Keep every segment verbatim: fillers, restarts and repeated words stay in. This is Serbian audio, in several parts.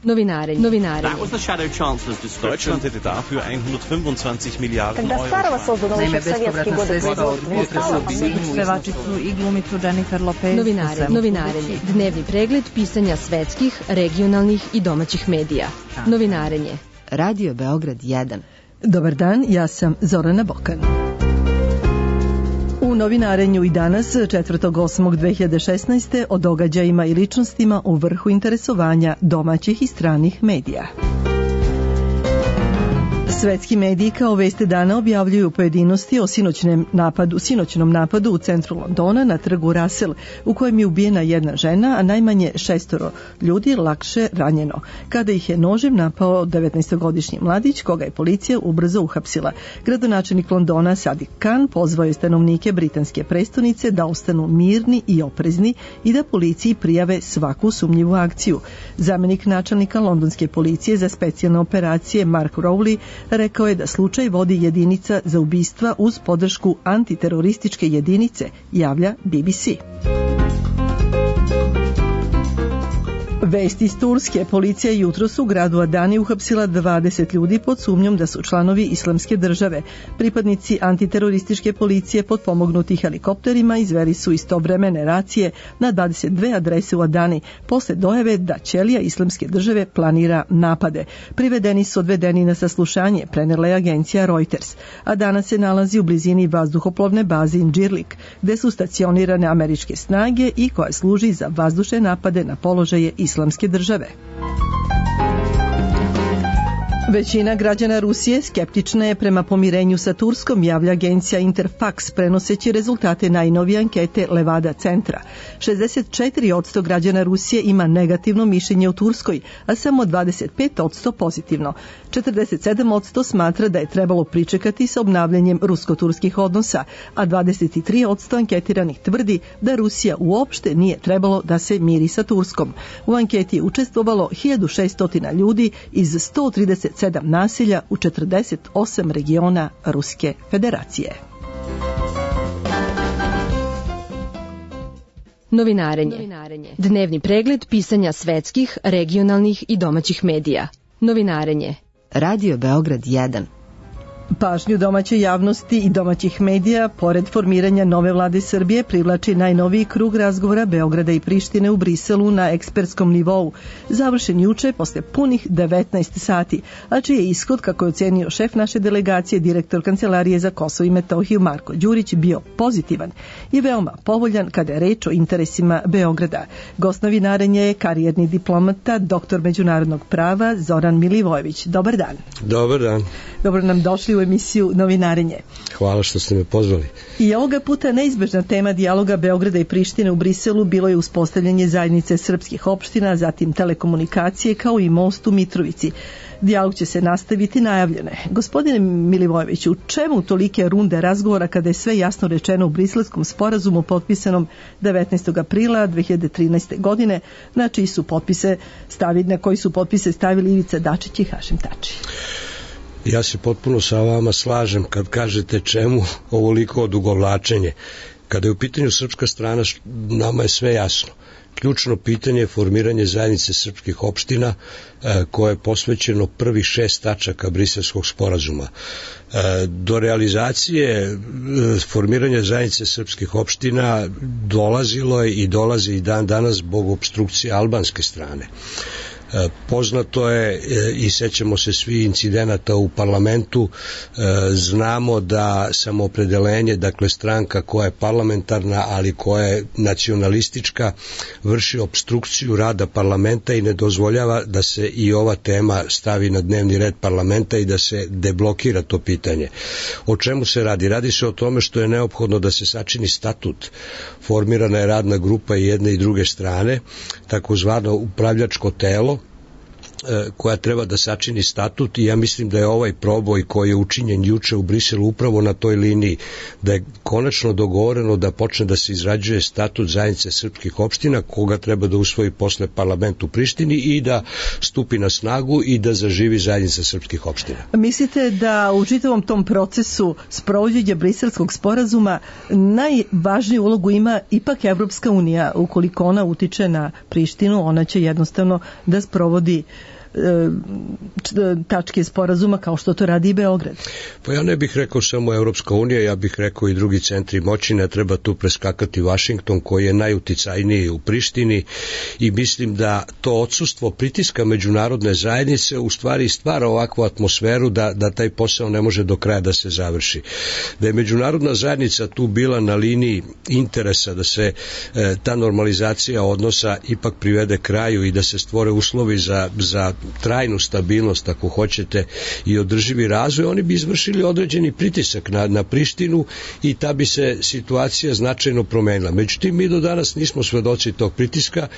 Novinarenje. Novinarenje. That was the shadow chancellor's description. Deutschland hätte dafür hundertfünfundzwanzig Milliarden Когда Старова создана еще в советские годы Pevačicu i glumicu Jennifer Lopez. Novinarenje. Novinarenje. Dnevni pregled pisanja svetskih, regionalnih i domaćih medija. Novinarenje. Radio Beograd jedan. Dobar dan, ja sam Zorana Bokan. U novinarenju i danas, četvrtog osmog dve hiljade šesnaeste. o događajima i ličnostima u vrhu interesovanja domaćih i stranih medija. Svetski mediji kao veste dana objavljuju pojedinosti o sinoćnem napadu, sinoćnom napadu u centru Londona na trgu Russell, u kojem je ubijena jedna žena, a najmanje šestoro ljudi lakše ranjeno, kada ih je nožem napao devetnaestogodišnji mladić, koga je policija ubrzo uhapsila. Gradonačelnik Londona Sadiq Khan pozvao je stanovnike britanske prestonice da ostanu mirni i oprezni i da policiji prijave svaku sumnjivu akciju. Zamenik načelnika londonske policije za specijalne operacije Mark Rowley rekao je da slučaj vodi jedinica za ubistva uz podršku antiterorističke jedinice, javlja B B C. Vesti iz Turske. Policija jutros u gradu Adani uhapsila dvadeset ljudi pod sumnjom da su članovi Islamske države. Pripadnici antiterorističke policije potpomognuti helikopterima izveli su istovremene racije na dvadeset dve adrese u Adani posle dojave da ćelija Islamske države planira napade. Privedeni su odvedeni na saslušanje, prenela je agencija Reuters. Adana se nalazi u blizini vazduhoplovne baze Incirlik, gde su stacionirane američke snage i koja služi za vazdušne napade na položaje Islamske države. Većina građana Rusije skeptična je prema pomirenju sa Turskom, javlja agencija Interfax prenoseći rezultate najnovije ankete Levada centra. šezdeset četiri posto građana Rusije ima negativno mišljenje o Turskoj, a samo dvadeset pet posto pozitivno. četrdeset sedam posto smatra da je trebalo pričekati sa obnavljanjem rusko-turskih odnosa, a dvadeset tri posto anketiranih tvrdi da Rusija uopšte nije trebalo da se miri sa Turskom. U anketi je učestvovalo hiljadu šesto ljudi iz sto trideset sedam naselja u četrdeset osam regiona Ruske federacije. Novinarenje. Dnevni pregled pisanja svetskih, regionalnih i domaćih medija. Novinarenje. Radio Beograd jedan. Pažnju domaće javnosti i domaćih medija, pored formiranja nove vlade Srbije, privlači najnoviji krug razgovora Beograda i Prištine u Briselu na ekspertskom nivou, završen juče posle punih devetnaest sati, a čiji je ishod, kako je ocenio šef naše delegacije, direktor Kancelarije za Kosovo i Metohiju Marko Đurić, bio pozitivan i veoma povoljan kada je reč o interesima Beograda. Gost novinarenja je karijerni diplomata, doktor međunarodnog prava Zoran Milivojević. Dobar dan. Dobar dan. Dobro nam došli u emisiju Novinarenje. Hvala što ste me pozvali. I ovoga puta neizbežna tema dijaloga Beograda i Prištine u Briselu bilo je uspostavljanje zajednice srpskih opština, zatim telekomunikacije kao i most u Mitrovici. Dijalog će se nastaviti najavljeno. Gospodine Milivojeviću, u čemu tolike runde razgovora kada je sve jasno rečeno u Briselskom sporazumu potpisanom devetnaestog aprila dve hiljade trinaeste. godine, na čiji su potpise stavili, na koji su potpise stavili Ivica Dačić i Hašim Tači? Ja se potpuno sa vama slažem kad kažete čemu ovoliko odugovlačenje. Kada je u pitanju srpska strana, nama je sve jasno. Ključno pitanje je formiranje zajednice srpskih opština koje je posvećeno prvih šest tačaka Briselskog sporazuma. Do realizacije formiranja zajednice srpskih opština dolazilo je i dolazi i dan danas zbog opstrukcije albanske strane. Poznato je i sećamo se svi incidenata u parlamentu, znamo da samoopredelenje, dakle stranka koja je parlamentarna, ali koja je nacionalistička, vrši opstrukciju rada parlamenta i ne dozvoljava da se i ova tema stavi na dnevni red parlamenta i da se deblokira to pitanje. O čemu se radi? Radi se o tome što je neophodno da se sačini statut. Formirana je radna grupa i jedne i druge strane, takozvano upravljačko telo, koja treba da sačini statut i ja mislim da je ovaj proboj koji je učinjen juče u Briselu upravo na toj liniji, da je konačno dogovoreno da počne da se izrađuje statut zajednice srpskih opština koga treba da usvoji posle parlament u Prištini i da stupi na snagu i da zaživi zajednica srpskih opština. Mislite da u čitavom tom procesu sprovođenja Briselskog sporazuma najvažniju ulogu ima ipak Evropska unija? Ukoliko ona utiče na Prištinu, ona će jednostavno da sprovodi tačke sporazuma kao što to radi i Beograd. Pa ja ne bih rekao samo Evropska unija, ja bih rekao i drugi centri moći, ne treba tu preskakati Vašington koji je najuticajniji u Prištini i mislim da to odsustvo pritiska međunarodne zajednice u stvari stvara ovakvu atmosferu da, da taj posao ne može do kraja da se završi. Da je međunarodna zajednica tu bila na liniji interesa da se e, ta normalizacija odnosa ipak privede kraju i da se stvore uslovi za, za trajnu stabilnost, ako hoćete, i održivi razvoj, oni bi izvršili određeni pritisak na, na Prištinu i ta bi se situacija značajno promenila. Međutim, mi do danas nismo svedoci tog pritiska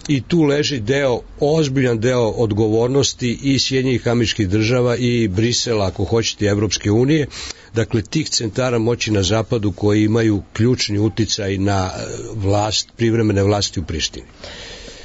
i tu leži deo, ozbiljan deo odgovornosti i Sjedinjenih Američkih Država i Brisela, ako hoćete, Evropske unije, dakle tih centara moći na zapadu koji imaju ključni uticaj na vlast, privremene vlasti u Prištini.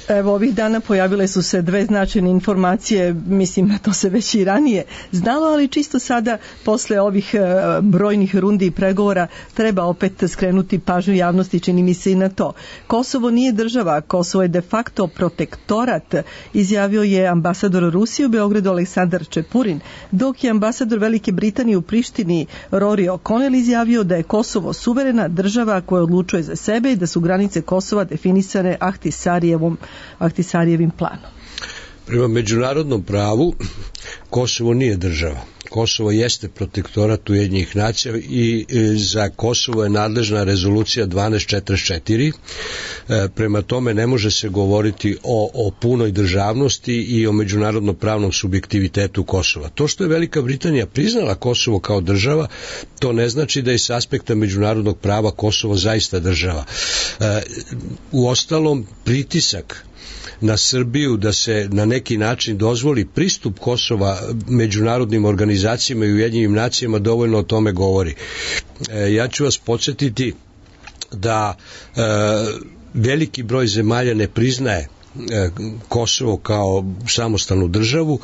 Evo, ovih dana pojavile su se dve značajne informacije, mislim, to se već i ranije znalo, ali čisto sada, posle ovih brojnih rundi i pregovora, treba opet skrenuti pažnju javnosti, čini mi se i na to. Kosovo nije država, Kosovo je de facto protektorat, izjavio je ambasador Rusije u Beogradu Aleksandar Čepurin, dok je ambasador Velike Britanije u Prištini Rory O'Connell izjavio da je Kosovo suverena država koja odlučuje za sebe i da su granice Kosova definisane Ahtisarijevom Ahtisarijevim planom. Prema međunarodnom pravu Kosovo nije država. Kosovo jeste protektorat Ujedinjenih nacija i za Kosovo je nadležna rezolucija dvanaest četrdeset četiri. Prema tome ne može se govoriti o, o punoj državnosti i o međunarodno pravnom subjektivitetu Kosova. To što je Velika Britanija priznala Kosovo kao država, to ne znači da je s aspekta međunarodnog prava Kosovo zaista država. Uostalom, pritisak na Srbiju da se na neki način dozvoli pristup Kosova međunarodnim organizacijama i Ujedinjenim nacijama dovoljno o tome govori. E, ja ću vas podsjetiti da e, veliki broj zemalja ne priznaje Kosovo kao samostalnu državu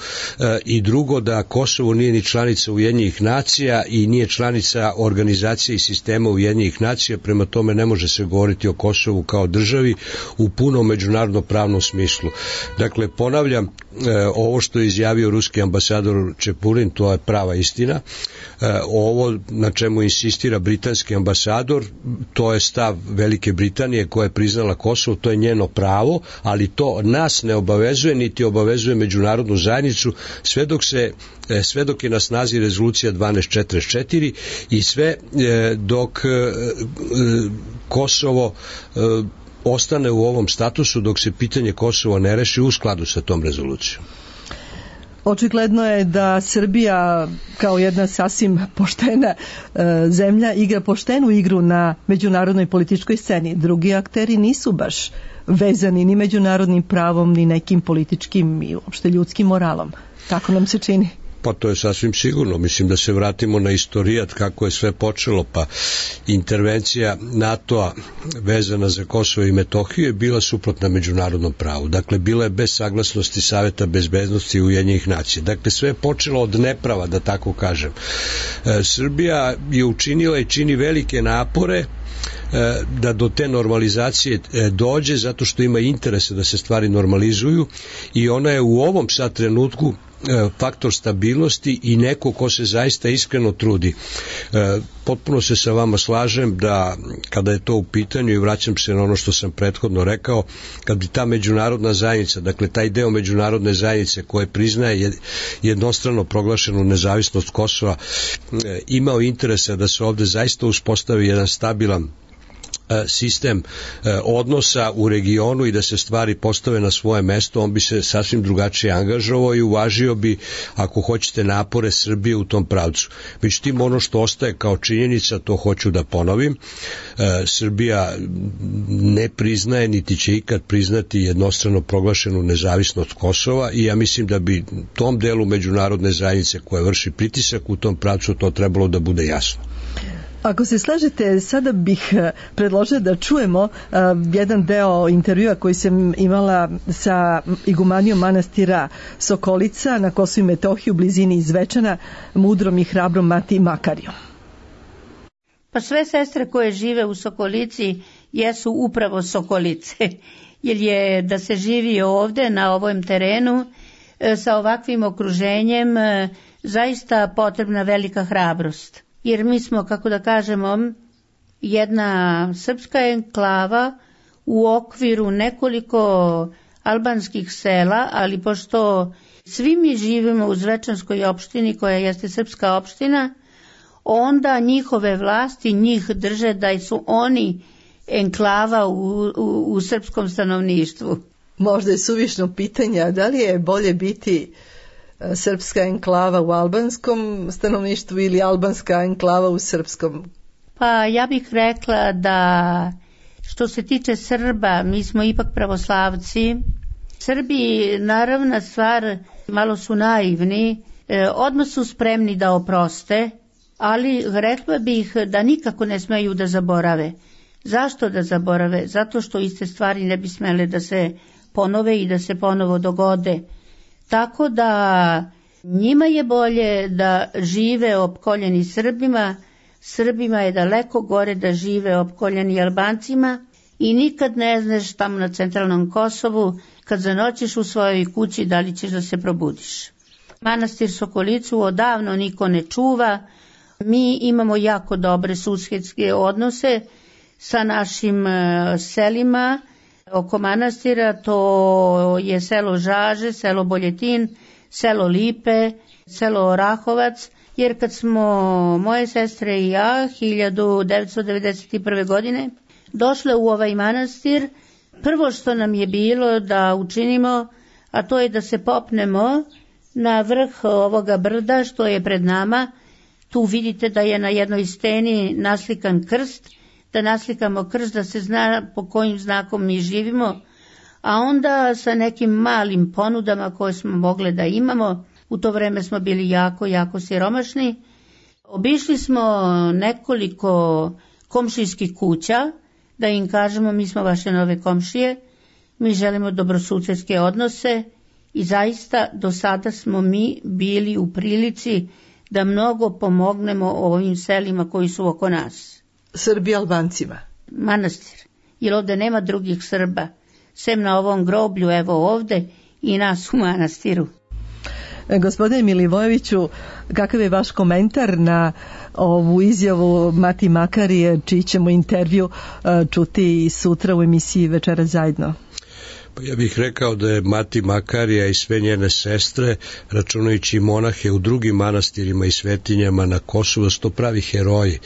i drugo da Kosovo nije ni članica Ujedinjenih nacija i nije članica organizacije i sistema Ujedinjenih nacija, prema tome ne može se govoriti o Kosovu kao državi u punom međunarodno pravnom smislu. Dakle, ponavljam, ovo što je izjavio ruski ambasador Čepurin, to je prava istina. Ovo na čemu insistira britanski ambasador, to je stav Velike Britanije koja je priznala Kosovo, to je njeno pravo, ali to nas ne obavezuje, niti obavezuje međunarodnu zajednicu, sve dok se sve dok je na snazi rezolucija dvanaest četrdeset četiri i sve dok Kosovo ostane u ovom statusu, dok se pitanje Kosova ne reši u skladu sa tom rezolucijom. Očigledno je da Srbija kao jedna sasvim poštena e, zemlja igra poštenu igru na međunarodnoj političkoj sceni. Drugi akteri nisu baš vezani ni međunarodnim pravom, ni nekim političkim i uopšte ljudskim moralom. Tako nam se čini. Pa to je sasvim sigurno. Mislim da se vratimo na istorijat kako je sve počelo, pa intervencija NATO-a vezana za Kosovo i Metohiju je bila suprotna međunarodnom pravu. Dakle, bila je bez saglasnosti Saveta bezbednosti Ujedinjenih nacija. Dakle, sve je počelo od neprava, da tako kažem. E, Srbija je učinila i čini velike napore da do te normalizacije dođe zato što ima interese da se stvari normalizuju i ona je u ovom sad trenutku faktor stabilnosti i neko ko se zaista iskreno trudi. Potpuno se sa vama slažem da kada je to u pitanju i vraćam se na ono što sam prethodno rekao, kad bi ta međunarodna zajednica, dakle taj deo međunarodne zajednice koje priznaje jednostrano proglašenu nezavisnost Kosova, imao interesa da se ovde zaista uspostavi jedan stabilan sistem odnosa u regionu i da se stvari postave na svoje mesto, on bi se sasvim drugačije angažovao i uvažio bi, ako hoćete, napore Srbije u tom pravcu. Međutim, ono što ostaje kao činjenica, to hoću da ponovim, Srbija ne priznaje, niti će ikad priznati jednostrano proglašenu nezavisnost Kosova i ja mislim da bi tom delu međunarodne zajednice koja vrši pritisak u tom pravcu to trebalo da bude jasno. Ako se slažete, sada bih predložila da čujemo uh, jedan deo intervjua koji sam imala sa igumanijom manastira Sokolica na Kosovu i Metohiji u blizini Zvečana, mudrom i hrabrom Mati Makarijom. Pa sve sestre koje žive u Sokolici jesu upravo Sokolice, jer je da se živi ovde na ovom terenu sa ovakvim okruženjem zaista potrebna velika hrabrost. Jer mi smo, kako da kažemo, jedna srpska enklava u okviru nekoliko albanskih sela, ali pošto svi mi živimo u Zvečanskoj opštini koja jeste srpska opština, onda njihove vlasti njih drže da su oni enklava u, u, u srpskom stanovništvu. Možda je suvišno pitanje, da li je bolje biti srpska enklava u albanskom stanovništvu ili albanska enklava u srpskom? Pa ja bih rekla da što se tiče Srba, mi smo ipak pravoslavci. Srbi, naravna stvar, malo su naivni, e, odmah su spremni da oproste, ali rekla bih da nikako ne smeju da zaborave. Zašto da zaborave? Zato što iste stvari ne bi smele da se ponove i da se ponovo dogode. Tako da njima je bolje da žive opkoljeni Srbima, Srbima je daleko gore da žive opkoljeni Albancima i nikad ne znaš tamo na centralnom Kosovu kad zanoćiš u svojoj kući da li ćeš da se probudiš. Manastir Sokolicu odavno niko ne čuva, mi imamo jako dobre susjedske odnose sa našim selima. Oko manastira to je selo Žaže, selo Boljetin, selo Lipe, selo Orahovac, jer kad smo moje sestre i ja hiljadu devetsto devedeset prve. godine došle u ovaj manastir, prvo što nam je bilo da učinimo, a to je da se popnemo na vrh ovoga brda što je pred nama. Tu vidite da je na jednoj steni naslikan krst, da naslikamo krst, da se zna po kojim znakom mi živimo, a onda sa nekim malim ponudama koje smo mogli da imamo, u to vreme smo bili jako, jako siromašni, obišli smo nekoliko komšijskih kuća, da im kažemo mi smo vaše nove komšije, mi želimo dobrosusedske odnose i zaista do sada smo mi bili u prilici da mnogo pomognemo ovim selima koji su oko nas. Srbi Albancima? Manastir, jer ovde nema drugih Srba, sem na ovom groblju, evo ovde, i nas u manastiru. Gospodine Milivojeviću, kakav je vaš komentar na ovu izjavu Mati Makarije, čiji ćemo intervju čuti sutra u emisiji Večera zajedno? Pa ja bih rekao da je Mati Makarija i sve njene sestre, računajući monahe u drugim manastirima i svetinjama na Kosovu, da su to pravi heroji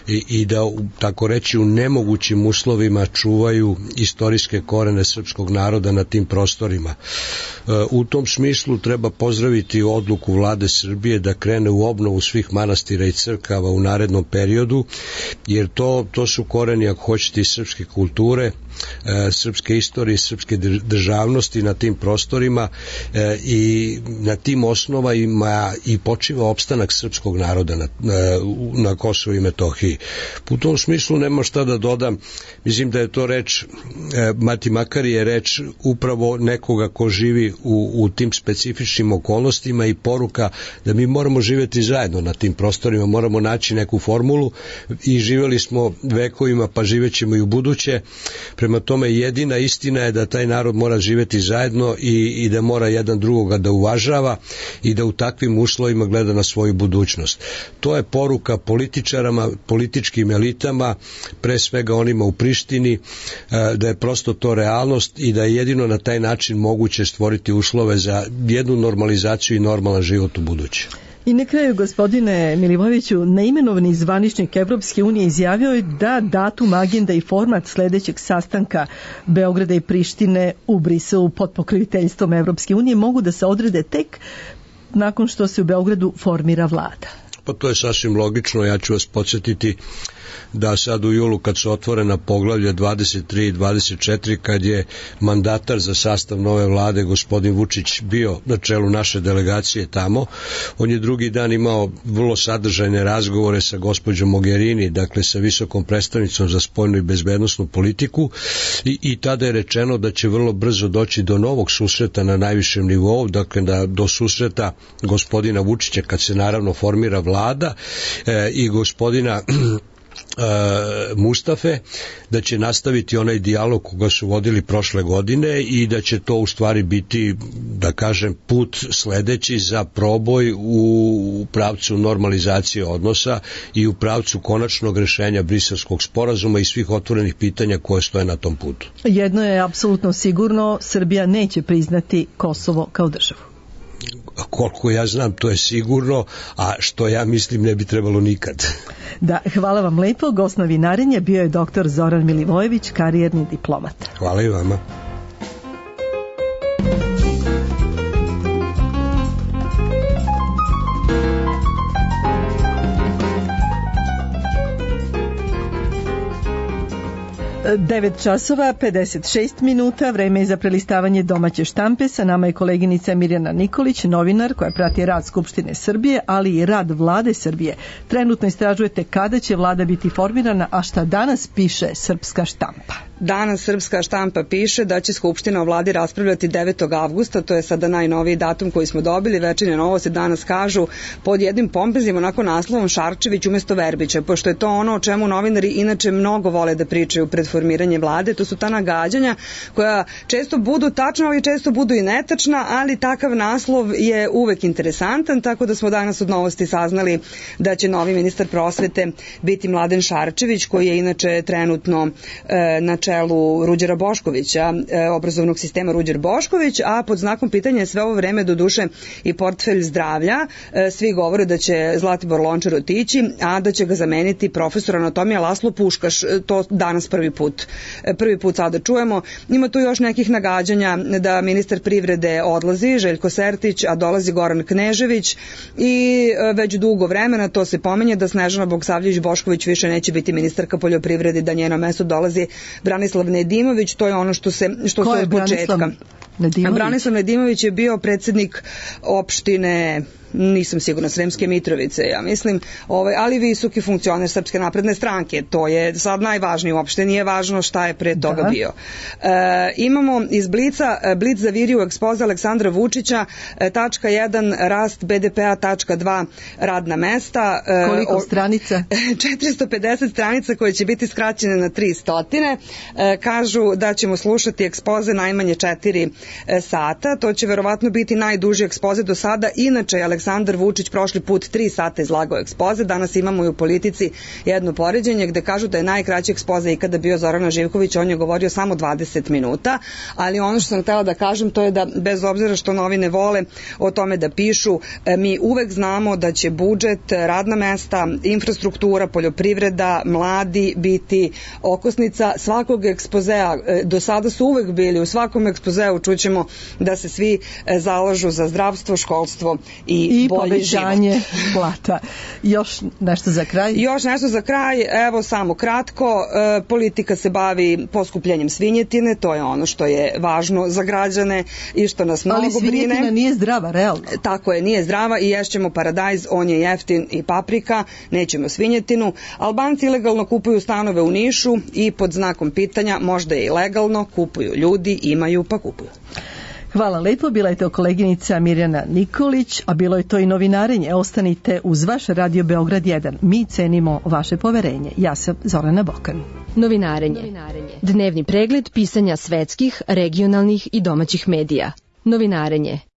i, i da, tako reći, u nemogućim uslovima čuvaju istorijske korene srpskog naroda na tim prostorima. U tom smislu treba pozdraviti odluku vlade Srbije da krene u obnovu svih manastira i crkava u narednom periodu, jer to, to su koreni, ako hoćete, i srpske kulture, srpske istorije, srpske državnosti na tim prostorima i na tim osnovama i počiva opstanak srpskog naroda na, na Kosovu i Metohiji. U tom smislu nema šta da dodam, mislim da je to reč, Mati Makarije je reč upravo nekoga ko živi u, u tim specifičnim okolnostima i poruka da mi moramo živjeti zajedno na tim prostorima, moramo naći neku formulu i živjeli smo vekovima, pa živjećemo i u buduće. Prema tome jedina istina je da taj narod mora živjeti zajedno i, i da mora jedan drugoga da uvažava i da u takvim uslovima gleda na svoju budućnost. To je poruka političarama, političkim elitama, pre svega onima u Prištini, da je prosto to realnost i da je jedino na taj način moguće stvoriti uslove za jednu normalizaciju i normalan život u buduće. I na kraju, gospodine Milivojeviću, neimenovani zvaničnik Evropske unije izjavio je da datum, agenda i format sledećeg sastanka Beograda i Prištine u Briselu pod pokroviteljstvom Evropske unije mogu da se odrede tek nakon što se u Beogradu formira vlada. Pa to je sasvim logično, ja ću vas podsjetiti da sad u julu kad su otvorena poglavlja dvadeset tri i dvadeset četiri, kad je mandatar za sastav nove vlade gospodin Vučić bio na čelu naše delegacije tamo, on je drugi dan imao vrlo sadržajne razgovore sa gospođom Mogherini, dakle sa visokom predstavnicom za spoljnu i bezbednosnu politiku i, i tada je rečeno da će vrlo brzo doći do novog susreta na najvišem nivou, dakle da do susreta gospodina Vučića kad se naravno formira vlada e, i gospodina Mustafe, da će nastaviti onaj dijalog koga su vodili prošle godine i da će to u stvari biti, da kažem, put sledeći za proboj u pravcu normalizacije odnosa i u pravcu konačnog rešenja Briselskog sporazuma i svih otvorenih pitanja koje stoje na tom putu. Jedno je apsolutno sigurno, Srbija neće priznati Kosovo kao državu. Koliko ja znam, to je sigurno, a što ja mislim ne bi trebalo nikad. Da, hvala vam lepo. Gost novinarenja bio je doktor Zoran Milivojević, karijerni diplomat. Hvala i vama. devet časova, pedeset šest minuta, vreme je za prelistavanje domaće štampe. Sa nama je koleginica Mirjana Nikolić, novinar koja prati rad Skupštine Srbije, ali i rad vlade Srbije. Trenutno istražujete kada će vlada biti formirana, a šta danas piše srpska štampa? Danas srpska štampa piše da će Skupština o vladi raspravljati devetog avgusta, to je sada najnoviji datum koji smo dobili. Večernje novosti danas kažu pod jednim pompeznim onako naslovom Šarčević umesto Verbića, pošto je to ono o čemu novinari inače mnogo vole da pričaju pred formiranje vlade. To su ta nagađanja koja često budu tačna, ali često budu i netačna, ali takav naslov je uvek interesantan, tako da smo danas od novosti saznali da će novi ministar prosvete biti Mladen Šarčević, koji je inače trenutno e, na čelu Ruđera Boškovića, e, obrazovnog sistema Ruđer Bošković, a pod znakom pitanja je sve ovo vreme do duše i portfelj zdravlja. E, svi govore da će Zlatibor Lončar otići, a da će ga zameniti profesor anatomija Laslo Puškaš, to danas prvi put. Prvi put sada čujemo. Ima tu još nekih nagađanja da ministar privrede odlazi, Željko Sertić, a dolazi Goran Knežević i već dugo vremena to se pominje da Snežana Bogosavljević-Bošković više neće biti ministarka poljoprivrede, da njeno mesto dolazi Branislav Nedimović. To je ono što se što Ko se je od početka. Nedimović? Branislav Nedimović je bio predsednik opštine, nisam sigurna, Sremske Mitrovice, ja mislim, ovaj, ali visoki funkcioner Srpske napredne stranke. To je sad najvažnije, uopšte nije važno šta je pre toga da. bio. E, imamo iz Blica, Blic zavirio u ekspoze Aleksandra Vučića, e, tačka jedan, rast be de pea, tačka dva, radna mesta. E, Koliko stranica? četiristo pedeset stranica koje će biti skraćene na tristo. E, kažu da ćemo slušati ekspoze najmanje četiri sata. To će verovatno biti najduži ekspoze do sada. Inače je Aleksandar Vučić prošli put tri sata izlagao ekspoze. Danas imamo i u Politici jedno poređenje gde kažu da je najkraći ekspoze ikada bio Zorana Živkovića. On je govorio samo dvadeset minuta, ali ono što sam htela da kažem to je da bez obzira što novine vole o tome da pišu, mi uvek znamo da će budžet, radna mesta, infrastruktura, poljoprivreda, mladi biti okosnica svakog ekspozea. Do sada su uvek bili u svakom ekspozeu, čućemo da se svi zalažu za zdravstvo, školstvo i, I bolji povećanje život. plata. Još nešto za kraj? Još nešto za kraj, evo samo kratko, e, politika se bavi poskupljenjem svinjetine, to je ono što je važno za građane i što nas mnogo brine. Ali svinjetina brine. Nije zdrava, realno. Tako je, nije zdrava i ješćemo paradajz, on je jeftin i paprika, nećemo svinjetinu. Albanci ilegalno kupuju stanove u Nišu i pod znakom pitanja, možda je i legalno, kupuju ljudi, imaju pa kupuju. Hvala lepo, bila je to koleginica Mirjana Nikolić, a bilo je to i novinarenje. Ostanite uz vaš Radio Beograd jedan. Mi cenimo vaše poverenje. Ja sam Zorana Bokan. Novinarenje. Novinarenje. Dnevni pregled pisanja svetskih, regionalnih i domaćih medija. Novinarenje.